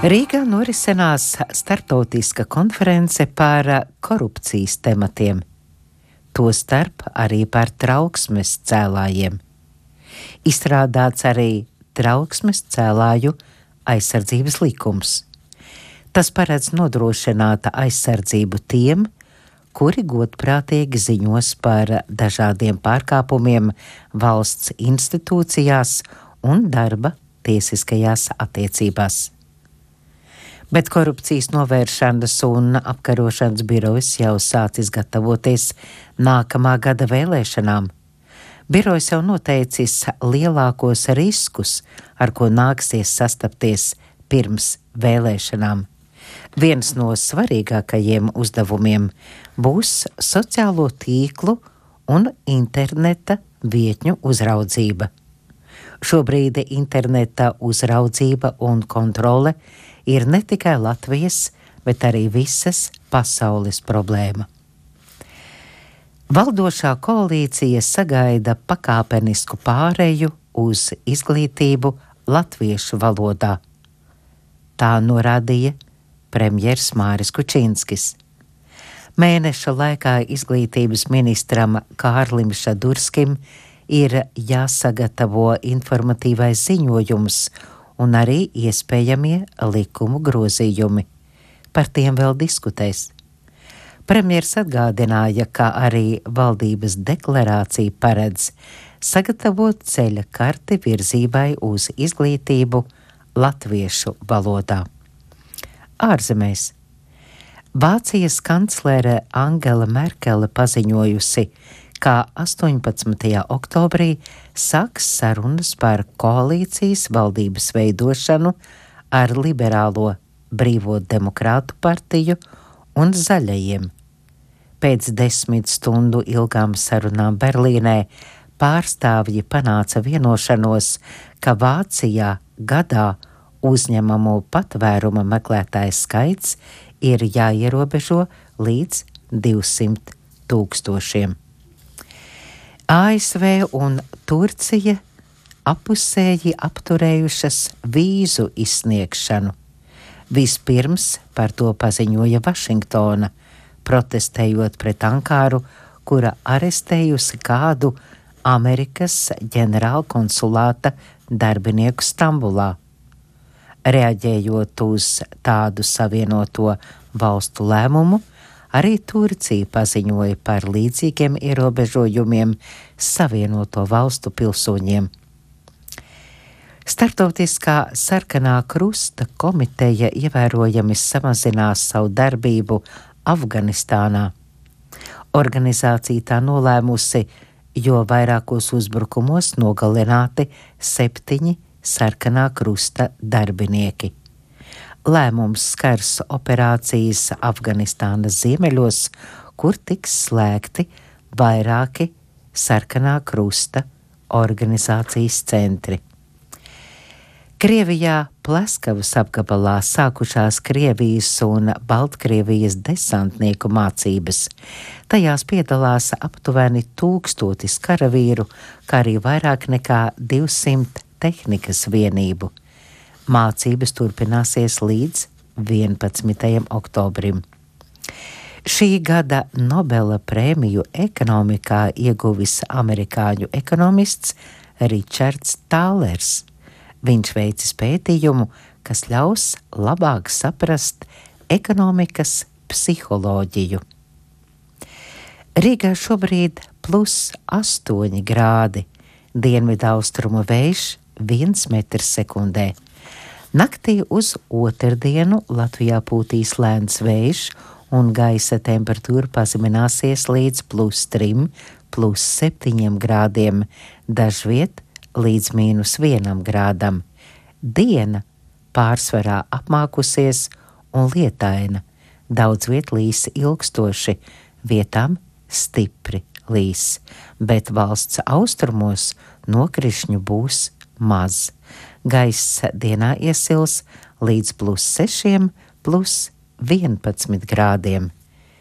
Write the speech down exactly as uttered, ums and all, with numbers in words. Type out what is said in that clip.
Rīgā norisinās starptautiska konference par korupcijas tematiem, tostarp arī par trauksmes cēlājiem. Izstrādāts arī trauksmes cēlāju aizsardzības likums. Tas paredz nodrošināt aizsardzību tiem, kuri godprātīgi ziņos par dažādiem pārkāpumiem valsts institūcijās un darba tiesiskajās attiecībās. Bet korupcijas novēršanas un apkarošanas birojas jau sācis gatavoties nākamā gada vēlēšanām. Birojs jau noteicis lielākos riskus, ar ko nāksies sastapties pirms vēlēšanām. Viens no svarīgākajiem uzdevumiem būs sociālo tīklu un interneta vietņu uzraudzība. Šobrīd interneta uzraudzība un kontrole ir ne tikai Latvijas, bet arī visas pasaules problēma. Valdošā koalīcija sagaida pakāpenisku pāreju uz izglītību latviešu valodā. Tā norādīja premjers Māris Kučinskis. Mēneša laikā izglītības ministram Kārlim Šadurskim ir jāsagatavo informatīvais ziņojums un arī iespējamie likumu grozījumi. Par tiem vēl diskutēs. Premjers atgādināja, ka arī valdības deklarācija paredz sagatavot ceļa karti virzībai uz izglītību latviešu valodā. Ārzemēs. Vācijas kanclere Angela Merkele paziņojusi, ka astoņpadsmitajā oktobrī sāks sarunas par koalīcijas valdības veidošanu ar liberālo Brīvo demokrātu partiju un zaļajiem. Pēc desmit stundu ilgām sarunām Berlīnē pārstāvji panāca vienošanos, ka Vācijā gadā uzņemamo patvēruma meklētāju skaits ir jāierobežo līdz divsimt tūkstošiem. A S V un Turcija apusēji apturējušas vīzu izsniegšanu. Vispirms par to paziņoja Vašingtona, protestējot pret Ankaru, kura arestējusi kādu Amerikas ģenerālkonsulāta darbinieku Stambulā. Reaģējot uz tādu savienoto valstu lēmumu, arī Turcija paziņoja par līdzīgiem ierobežojumiem Savienoto valstu pilsoņiem. Startautiskā sarkanā krusta komiteja ievērojami samazinās savu darbību Afganistānā. Organizācija tā nolēmusi, jo vairākos uzbrukumos nogalināti septiņi sarkanā krusta darbinieki. Lēmums skars operācijas Afganistānas ziemeļos, kur tiks slēgti vairāki sarkanā krusta organizācijas centri. Krievijā Pleskavas apgabalā sākušās Krievijas un Baltkrievijas desantnieku mācības. Tajās piedalās aptuveni tūkstotis karavīru, kā arī vairāk nekā divsimt tehnikas vienību. Mācības turpināsies līdz vienpadsmitajam oktobrim. Šī gada Nobela prēmiju ekonomikā ieguvis amerikāņu ekonomists Ričards Tālers. Viņš veicis pētījumu, kas ļaus labāk saprast ekonomikas psiholoģiju. Rīgā šobrīd plus astoņi grādi, dienvidaustrumu vējš viens metrs sekundē. Naktī uz otrdienu Latvijā pūtīs lēns vējš un gaisa temperatūra pazemināsies līdz plus trim, plus septiņiem grādiem, dažviet līdz mīnus vienam grādam. Diena pārsvarā apmākusies un lietaina, daudz viet līs ilgstoši, vietām stipri līs, bet valsts austrumos nokrišņu būs maz. Gaiss dienā iesils līdz plus sešiem, plus vienpadsmit grādiem.